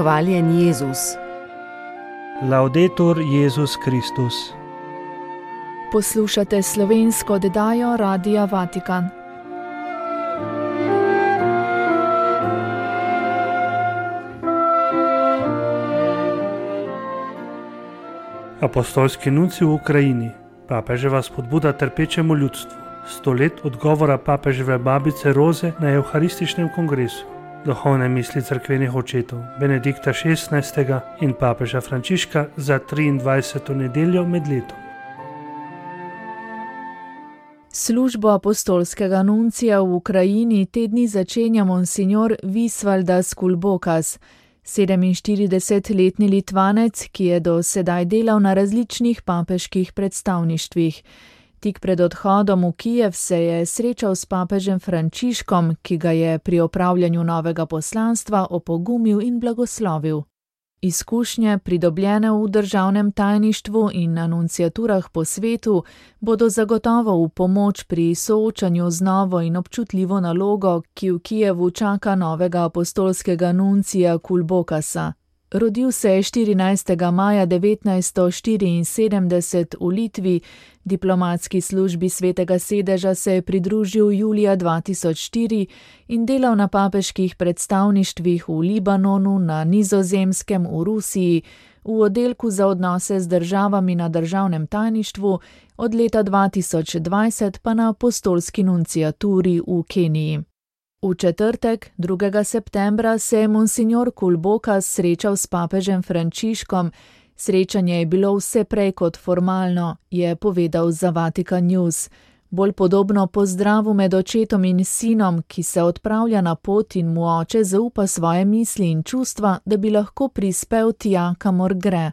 Hvaljen Jezus. Laudetur Jezus Kristus. Poslušate slovensko oddajo Radia Vatikan. Apostolski nuncij v Ukrajini. Papeževa spodbuda trpečemu ljudstvu. 100 let odgovora papeževe babice Roze na Evharističnem kongresu. Duhovne misli cerkvenih očetov Benedikta XVI. In papeža Frančiška za 23. nedeljo med letom. Službo apostolskega nuncija v Ukrajini te dni začenja monsignor Visvaldas Kulbokas, 47-letni Litvanec, ki je do sedaj delal na različnih papeških predstavništvih. Tik pred odhodom v Kijev se je srečal s papežem Frančiškom, ki ga je pri opravljanju novega poslanstva opogumil in blagoslovil. Izkušnje, pridobljene v državnem tajništvu in anunciaturah po svetu, bodo zagotovo v pomoč pri soočanju z novo in občutljivo nalogo, ki v Kijevu čaka novega apostolskega nuncija Kulbokasa. Rodil se je 14. maja 1974 v Litvi, diplomatski službi Svetega sedeža se je pridružil julija 2004 in delal na papeških predstavništvih v Libanonu, na Nizozemskem, v Rusiji, v oddelku za odnose z državami na državnem tajništvu, od leta 2020 pa na apostolski nunciaturi v Keniji. V četrtek, 2. septembra, se je monsignor Kulbokas srečal s papežem Frančiškom. Srečanje je bilo vse prej kot formalno, je povedal za Vatikan News. Bolj podobno pozdravu med očetom in sinom, ki se odpravlja na pot in mu oče zaupa svoje misli in čustva, da bi lahko prispel tja, kamor gre.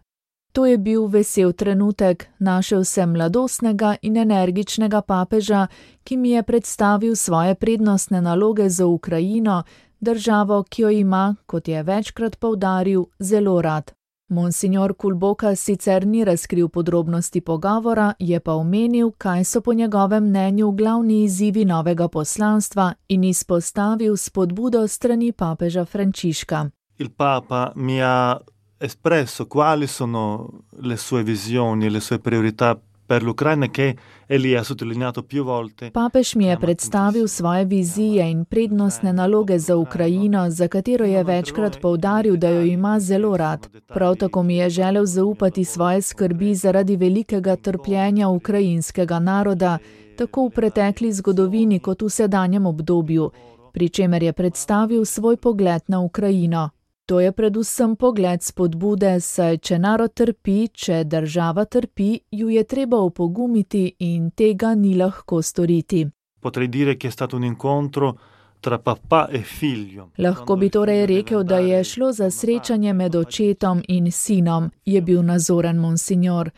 To je bil vesel trenutek, našel sem mladostnega in energičnega papeža, ki mi je predstavil svoje prednostne naloge za Ukrajino, državo, ki jo ima, kot je večkrat poudaril, zelo rad. Monsignor Kulbokas sicer ni razkril podrobnosti pogovora, je pa omenil, kaj so po njegovem mnenju glavni izzivi novega poslanstva in izpostavil spodbudo strani papeža Frančiška. Il Papa mi ha espresso quali sono le sue visioni, le sue priorità per l'Ucraina che egli ha sottolineato più volte. Papež mi je predstavil svoje vizije in prednostne naloge za Ukrajino, za katero je večkrat poudaril, da jo ima zelo rad. Prav tako mi je želel zaupati svoje skrbi zaradi velikega trpljenja ukrajinskega naroda, tako v pretekli zgodovini kot v sedanjem obdobju, pri čemer je predstavil svoj pogled na Ukrajino. To je predvsem pogled spodbude, saj če narod trpi, če država trpi, ju je treba opogumiti in tega ni lahko storiti. Potrei dire che è stato un incontro tra papà e figlio. Lahko bi torej rekel, da je šlo za srečanje med očetom in sinom, je bil nazoren monsignor.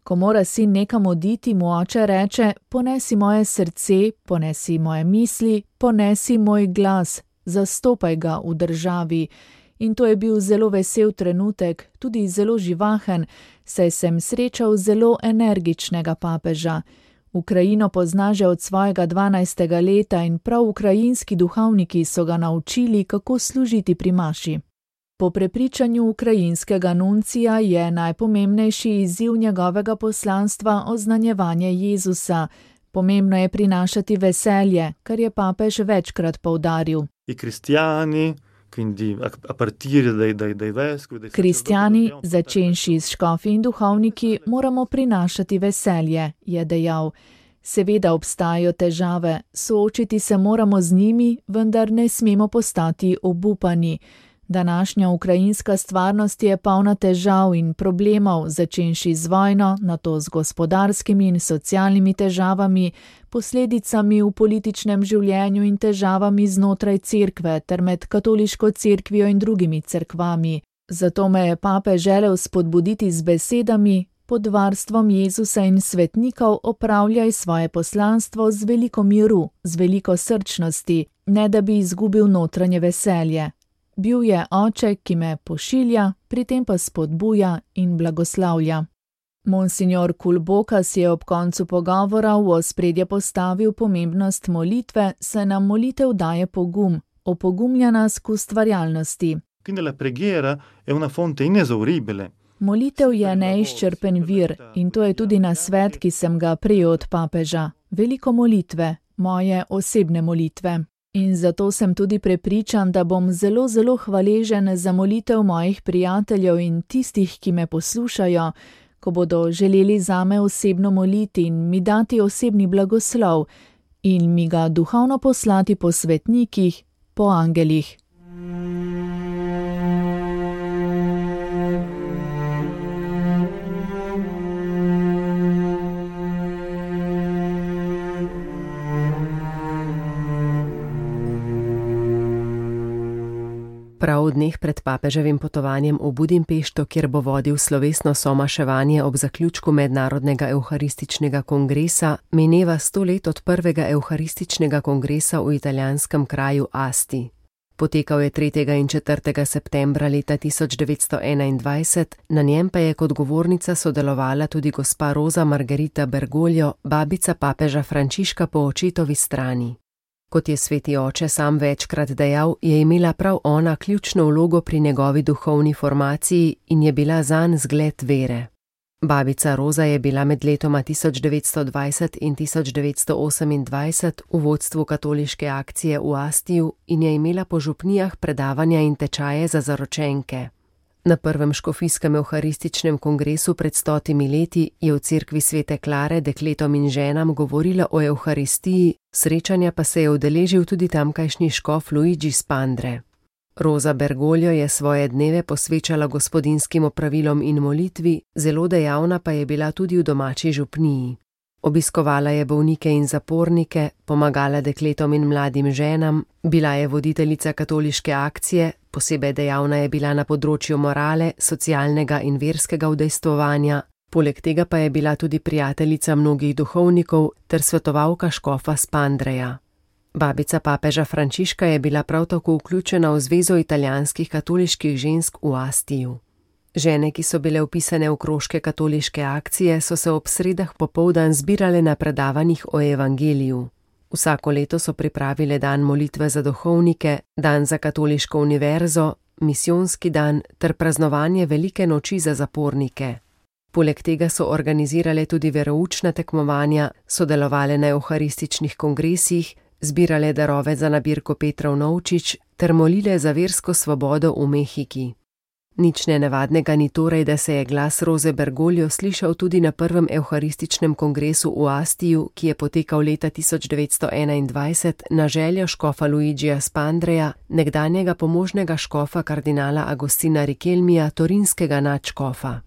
Ko mora sin nekam oditi, mu oče reče: ponesi moje srce, ponesi moje misli, ponesi moj glas, zastopaj ga v državi. In to je bil zelo vesel trenutek, tudi zelo živahen, saj sem srečal zelo energičnega papeža. Ukrajino pozna že od svojega 12. leta in prav ukrajinski duhovniki so ga naučili, kako služiti pri maši. Po prepričanju ukrajinskega nuncija je najpomembnejši izziv njegovega poslanstva oznanjevanje Jezusa. Pomembno je prinašati veselje, kar je papež večkrat poudaril. I kristjani, Kristjani, začenši s škofi in duhovniki, moramo prinašati veselje, je dejal. Seveda obstajajo težave, soočiti se moramo z njimi, vendar ne smemo postati obupani. Današnja ukrajinska stvarnost je polna težav in problemov, začenši z vojno, nato z gospodarskimi in socialnimi težavami, posledicami v političnem življenju in težavami znotraj cerkve ter med katoliško cerkvijo in drugimi cerkvami. Zato me je pape želel spodbuditi z besedami: pod varstvom Jezusa in svetnikov opravljaj svoje poslanstvo z veliko miru, z veliko srčnosti, ne da bi izgubil notranje veselje. Bil je oče, ki me pošilja, pri tem pa spodbuja in blagoslavlja. Monsignor Kulbokas je ob koncu pogovora v ospredje postavil pomembnost molitve, saj nam molitev daje pogum, opogumlja nas k ustvarjalnosti. Quindi la preghiera è una fonte inesauribile. Molitev je neizčrpen vir in to je tudi nasvet, ki sem ga prejel od papeža. Veliko molitve, moje osebne molitve. In zato sem tudi prepričan, da bom zelo, zelo hvaležen za molitev mojih prijateljev in tistih, ki me poslušajo, ko bodo želeli zame osebno moliti in mi dati osebni blagoslov in mi ga duhovno poslati po svetnikih, po angelih. Prav v dneh pred papeževim potovanjem v Budimpešto, kjer bo vodil slovesno somaševanje ob zaključku Mednarodnega evharističnega kongresa, mineva 100 let od prvega evharističnega kongresa v italijanskem kraju Asti. Potekal je 3. in 4. septembra leta 1921, na njem pa je kot govornica sodelovala tudi gospa Rosa Margherita Bergoglio, babica papeža Frančiška po očetovi strani. Kot je sveti oče sam večkrat dejal, je imela prav ona ključno vlogo pri njegovi duhovni formaciji in je bila zanj zgled vere. Babica Roza je bila med letoma 1920 in 1928 v vodstvu katoliške akcije v Astiju in je imela po župnijah predavanja in tečaje za zaročenke. Na prvem škofijskem evharističnem kongresu pred 100 leti je v cerkvi svete Klare dekletom in ženam govorila o evharistiji, srečanja pa se je udeležil tudi tamkajšnji škof Luigi Spandre. Rosa Bergoglio je svoje dneve posvečala gospodinskim opravilom in molitvi, zelo dejavna pa je bila tudi v domači župniji. Obiskovala je bolnike in zapornike, pomagala dekletom in mladim ženam, bila je voditeljica katoliške akcije, posebej dejavna je bila na področju morale, socialnega in verskega udejstvovanja, poleg tega pa je bila tudi prijateljica mnogih duhovnikov ter svetovalka škofa Spandreja. Babica papeža Frančiška je bila prav tako vključena v Zvezo italijanskih katoliških žensk v Astiju. Žene, ki so bile vpisane v krožke katoliške akcije, so se ob sredah popoldan zbirale na predavanjih o evangeliju. Vsako leto so pripravile dan molitve za duhovnike, dan za katoliško univerzo, misijonski dan ter praznovanje velike noči za zapornike. Poleg tega so organizirale tudi veroučna tekmovanja, sodelovale na evharističnih kongresih, zbirale darove za nabirko Petrov Novčič ter molile za versko svobodo v Mehiki. Nič nenavadnega ni torej, da se je glas Rose Bergoglio slišal tudi na prvem evharističnem kongresu v Astiju, ki je potekal leta 1921 na željo škofa Luigija Spandreja, nekdanjega pomožnega škofa kardinala Agostina Rikelmija, torinskega nadškofa.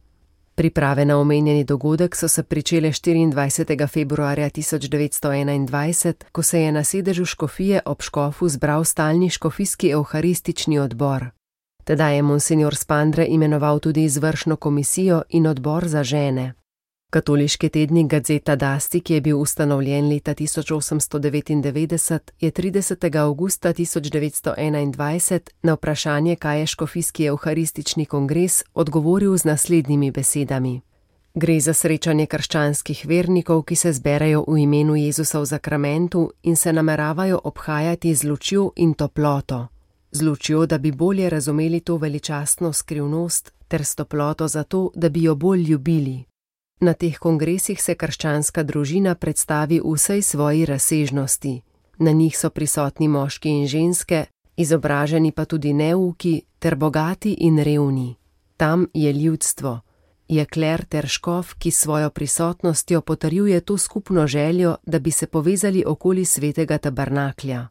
Priprave na omenjeni dogodek so se pričele 24. februarja 1921, ko se je na sedežu škofije ob škofu zbral stalni škofijski evharistični odbor. Tedaj je monsignor Spandre imenoval tudi izvršno komisijo in odbor za žene. Katoliški tednik Gazzetta d'Asti, ki je bil ustanovljen leta 1899, je 30. avgusta 1921 na vprašanje, kaj je škofijski evharistični kongres, odgovoril z naslednjimi besedami. Gre za srečanje krščanskih vernikov, ki se zberejo v imenu Jezusa v zakramentu in se nameravajo obhajati z lučjo in toploto. Z lučjo, da bi bolje razumeli to veličastno skrivnost, ter s toploto zato, da bi jo bolj ljubili. Na teh kongresih se krščanska družina predstavi v vsej svoji razsežnosti. Na njih so prisotni moški in ženske, izobraženi pa tudi neuki, ter bogati in revni. Tam je ljudstvo. Je kler ter škof, ki svojo prisotnostjo potrjuje to skupno željo, da bi se povezali okoli svetega tabernaklja.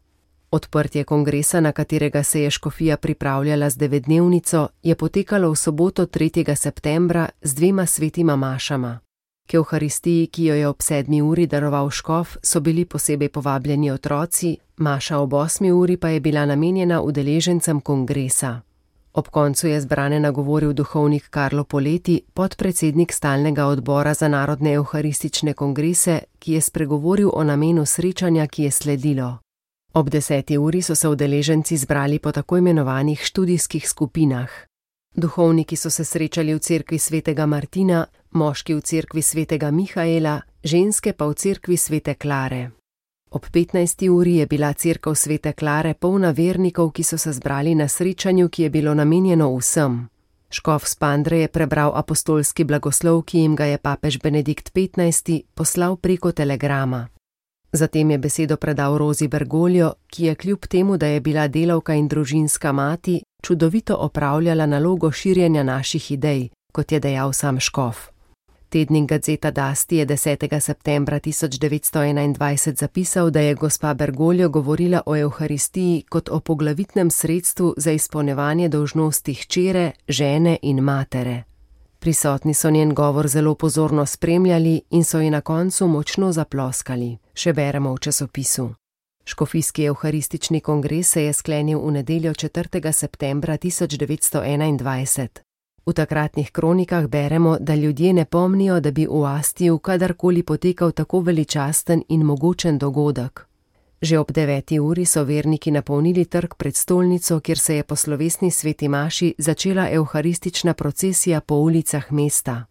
Odprtje kongresa, na katerega se je škofija pripravljala z 9-dnevnico, je potekalo v soboto 3. septembra z 2 svetima mašama. K evharistiji, ki jo je ob 7. uri daroval škof, so bili posebej povabljeni otroci, maša ob 8. uri pa je bila namenjena udeležencem kongresa. Ob koncu je zbrane nagovoril duhovnik Karlo Poleti, podpredsednik stalnega odbora za narodne evharistične kongrese, ki je spregovoril o namenu srečanja, ki je sledilo. Ob 10. uri so se udeleženci zbrali po tako imenovanih študijskih skupinah. Duhovniki so se srečali v cerkvi svetega Martina, moški v cerkvi svetega Mihaela, ženske pa v cerkvi svete Klare. Ob 15. uri je bila cerkev Svete Klare polna vernikov, ki so se zbrali na srečanju, ki je bilo namenjeno vsem. Škof Spandre je prebral apostolski blagoslov, ki jim ga je papež Benedikt XV poslal preko telegrama. Zatem je besedo predal Rozi Bergoglio, ki je kljub temu, da je bila delavka in družinska mati, čudovito opravljala nalogo širjenja naših idej, kot je dejal sam škof. Tednik Gazzetta d'Asti je 10. septembra 1921 zapisal, da je gospa Bergoglio govorila o Evharistiji kot o poglavitnem sredstvu za izpolnjevanje dolžnosti hčere, žene in matere. Prisotni so njen govor zelo pozorno spremljali in so ji na koncu močno zaploskali, še beremo v časopisu. Škofijski evharistični kongres se je sklenil v nedeljo 4. septembra 1921. V takratnih kronikah beremo, da ljudje ne pomnijo, da bi v Astiju kadarkoli potekal tako veličasten in mogočen dogodek. Že ob 9. uri so verniki napolnili trg pred stolnico, kjer se je po slovesni sveti maši začela evharistična procesija po ulicah mesta.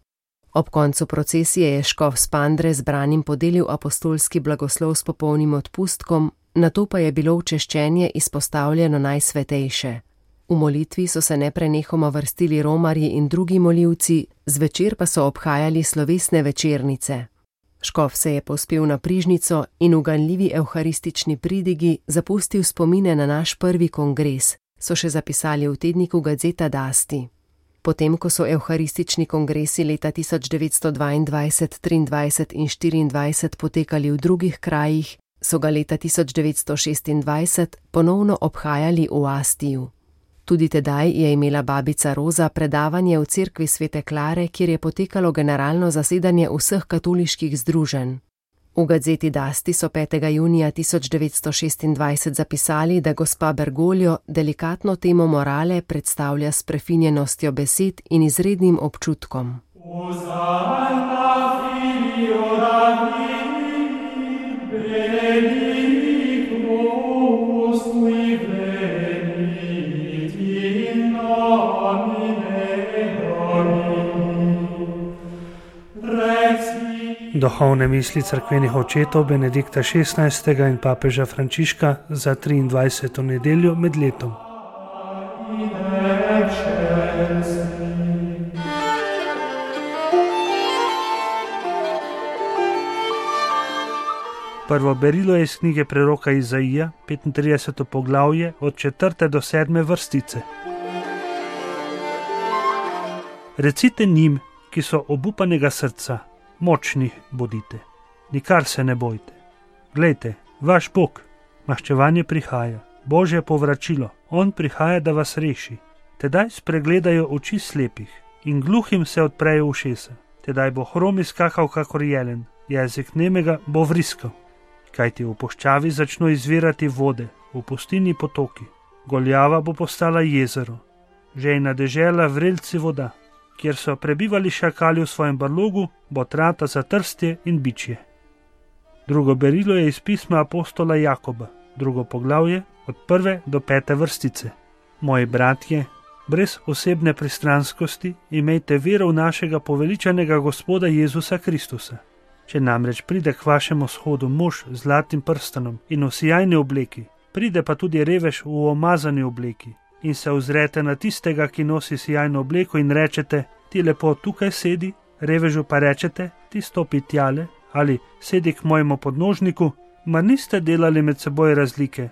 Ob koncu procesije je škof Spandre zbranim podelil apostolski blagoslov s popolnim odpustkom, nato pa je bilo včeščenje izpostavljeno najsvetejše. V molitvi so se neprenehoma vrstili romarji in drugi molivci, zvečer pa so obhajali slovesne večernice. Škof se je povzpel na prižnico in v ganljivi evharistični pridigi zapustil spomine na naš prvi kongres, so še zapisali v tedniku Gazzetta d'Asti. Potem, ko so evharistični kongresi leta 1922, 23 in 24 potekali v drugih krajih, so ga leta 1926 ponovno obhajali v Astiju. Tudi tedaj je imela babica Roza predavanje v cerkvi Svete Klare, kjer je potekalo generalno zasedanje vseh katoliških združenj. V Gazzeti d'Asti so 5. junija 1926 zapisali, da gospa Bergoglio delikatno temo morale predstavlja s prefinjenostjo besed in izrednim občutkom. Duhovne misli cerkvenih očetov Benedikta XVI. In papeža Frančiška za 23. nedeljo med letom. Prvo berilo je iz knjige preroka Izaija, 35. poglavje, od 4. do 7. vrstice. Recite njim, ki so obupanega srca, močni bodite, nikar se ne bojte. Glejte, vaš Bog, maščevanje prihaja, Božje povračilo, on prihaja, da vas reši. Tedaj spregledajo oči slepih in gluhim se odprejo ušesa. Tedaj bo hrom izskakal kakor jelen, jezik nemega bo vriskal. Kajti v puščavi začno izvirati vode, v pustini potoki. Goljava bo postala jezero, žejna dežela vrelci voda. Kjer so prebivali šakali v svojem brlogu, bo trata za trstje in bičje. Drugo berilo je iz pisma apostola Jakoba, drugo poglavje, od 1. do 5. vrstice. Moji bratje, brez osebne pristranskosti imejte vero v našega poveličanega Gospoda Jezusa Kristusa. Če namreč pride k vašemu shodu mož z zlatim prstanom in v sijajni obleki, pride pa tudi revež v omazani obleki, in se ozrete na tistega, ki nosi sijajno obleko in rečete, ti lepo tukaj sedi, revežu pa rečete, ti stopi tjale ali sedi k mojemu podnožniku, mar niste delali med seboj razlike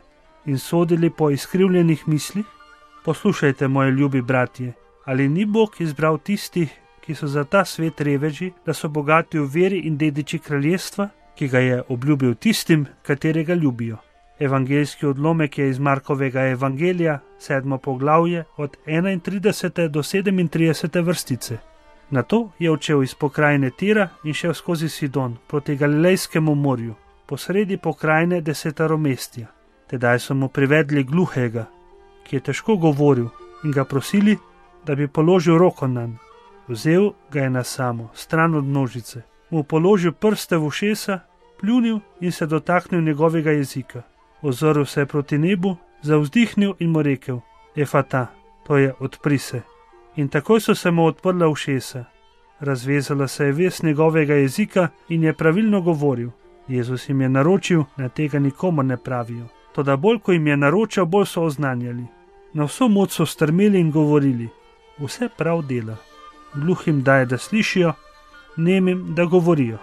in sodili po izkrivljenih mislih? Poslušajte, moji ljubi bratje, ali ni Bog izbral tistih, ki so za ta svet reveži, da so bogati v veri in dediči kraljestva, ki ga je obljubil tistim, katerega ljubijo. Evangeljski odlomek je iz Markovega evangelija, 7. poglavje, od 31. do 37. vrstice. Nato je odšel iz pokrajine Tira in šel skozi Sidon proti Galilejskemu morju, posredi pokrajine Desetaromestja. Tedaj so mu privedli gluhega, ki je težko govoril, in ga prosili, da bi položil roko nanj. Vzel ga je na samo, stran od množice, mu položil prste v ušesa, pljunil in se dotaknil njegovega jezika. Ozrl se je proti nebu, zavzdihnil in mu rekel, Efata, to je odpri se. In takoj so se mu odprla ušesa. Razvezala se je vez njegovega jezika in je pravilno govoril. Jezus jim je naročil, da tega nikomur ne pravijo. Toda bolj, ko jim je naročal, bolj so oznanjali. Na vso moč so strmeli in govorili: vse prav dela. Gluhim daje, da slišijo, nemim, da govorijo.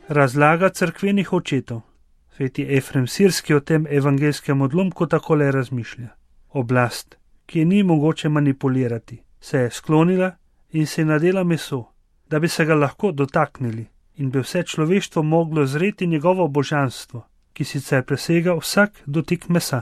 Razlaga cerkvenih očetov. Sveti Efrem Sirski o tem evangelskem odlomku takole razmišlja. Oblast, ki je ni mogoče manipulirati, se je sklonila in se je nadela meso, da bi se ga lahko dotaknili in bi vse človeštvo moglo zreti njegovo božanstvo, ki sicer presega vsak dotik mesa.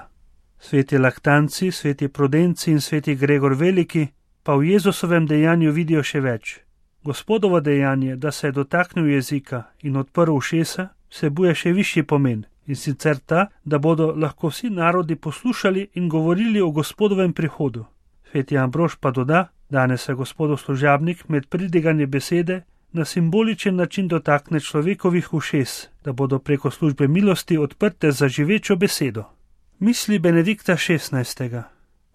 Sveti Laktanci, sveti Prudenci in sveti Gregor Veliki pa v Jezusovem dejanju vidijo še več. Gospodovo dejanje, da se je dotaknil jezika in odprl ušesa, vsebuje še višji pomen, in sicer ta, da bodo lahko vsi narodi poslušali in govorili o Gospodovem prihodu. Sveti Ambrož pa doda, danes se Gospodov služabnik med pridiganje besede na simboličen način dotakne človekovih ušes, da bodo preko službe milosti odprte za živečo besedo. Misli Benedikta XVI.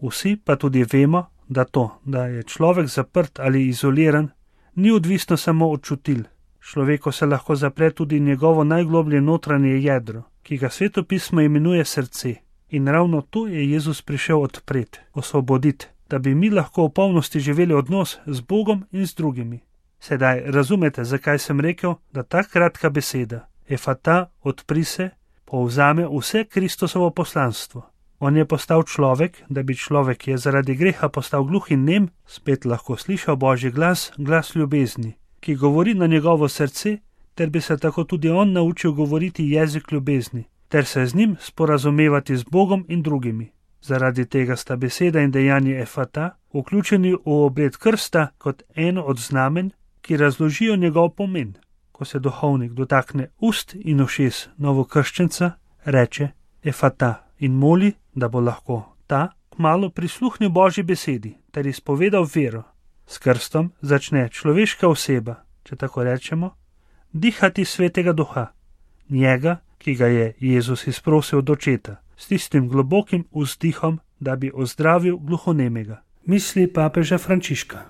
Vsi pa tudi vemo, da to, da je človek zaprt ali izoliran, ni odvisno samo od čutil. Človeku se lahko zapre tudi njegovo najgloblje notranje jedro, ki ga Svetopismo imenuje srce. In ravno to je Jezus prišel odpreti, osvoboditi, da bi mi lahko v polnosti živeli odnos z Bogom in z drugimi. Sedaj razumete, zakaj sem rekel, da ta kratka beseda, efata, odpri se, povzame vse Kristusovo poslanstvo. On je postal človek, da bi človek, ki je zaradi greha postal gluh in nem, spet lahko slišal Božji glas, glas ljubezni, ki govori na njegovo srce, ter bi se tako tudi on naučil govoriti jezik ljubezni, ter se z njim sporazumevati z Bogom in drugimi. Zaradi tega sta beseda in dejanje efata vključeni v obred krsta kot eno od znamen, ki razložijo njegov pomen. Ko se duhovnik dotakne ust in ušes novokrščenca, reče efata in moli, da bo lahko ta kmalu prisluhnil Božji besedi ter izpovedal vero. S krstom začne človeška oseba, če tako rečemo, dihati svetega duha, njega, ki ga je Jezus izprosil od očeta, s tistim globokim vzdihom, da bi ozdravil gluhonemega. Misli papeža Frančiška.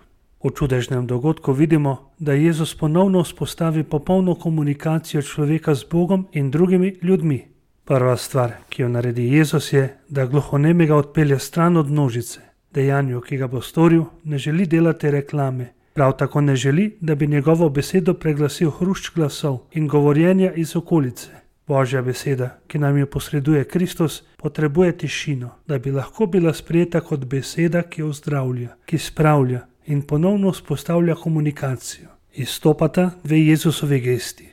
V čudežnem dogodku vidimo, da Jezus ponovno vzpostavi popolno komunikacijo človeka z Bogom in drugimi ljudmi. Prva stvar, ki jo naredi Jezus, je, da gluhonemega odpelje stran od množice. Dejanju, ki ga bo storil, ne želi delati reklame. Prav tako ne želi, da bi njegovo besedo preglasil hrušč glasov in govorjenja iz okolice. Božja beseda, ki nam jo posreduje Kristus, potrebuje tišino, da bi lahko bila sprejeta kot beseda, ki ozdravlja, ki spravlja in ponovno vzpostavlja komunikacijo. Izstopata dve Jezusovi gesti.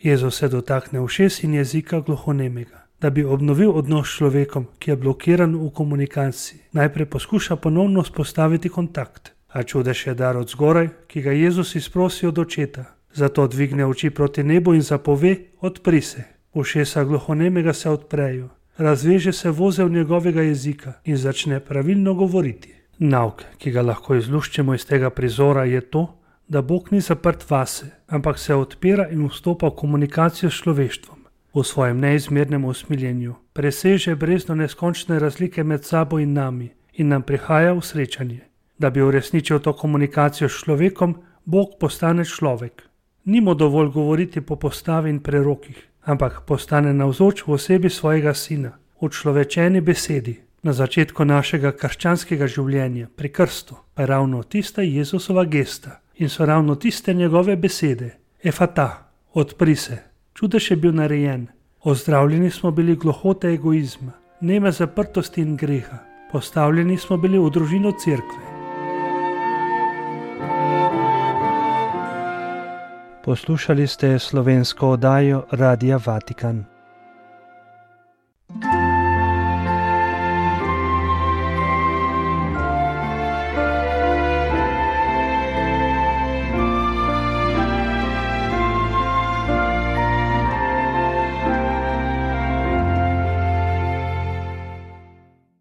Jezus se dotakne ušes in jezika gluhonemega, da bi obnovil odnos s človekom, ki je blokiran v komunikaciji. Najprej poskuša ponovno vzpostaviti kontakt, a čudež je dar od zgoraj, ki ga Jezus izprosi od očeta. Zato dvigne oči proti nebu in zapove: odpri se. Ušesa gluhonemega se odprejo, razveže se vozel njegovega jezika in začne pravilno govoriti. Nauk, ki ga lahko izluščemo iz tega prizora, je to, da Bog ni zaprt vase, ampak se odpira in vstopa v komunikacijo s človeštvom. V svojem neizmernem usmiljenju preseže brezno neskončne razlike med sabo in nami in nam prihaja v srečanje. Da bi uresničil to komunikacijo s človekom, Bog postane človek. Ni mu dovolj govoriti po postavi in prerokih, ampak postane navzoč v osebi svojega sina, v človečeni besedi. Na začetku našega krščanskega življenja, pri krstu, pa je ravno tista Jezusova gesta in so ravno tiste njegove besede. Efata, odpri se. Čudež je bil narejen. Ozdravljeni smo bili gluhote egoizma, neme zaprtosti in greha. Postavljeni smo bili v družino cerkve. Poslušali ste slovensko oddajo Radia Vatikan.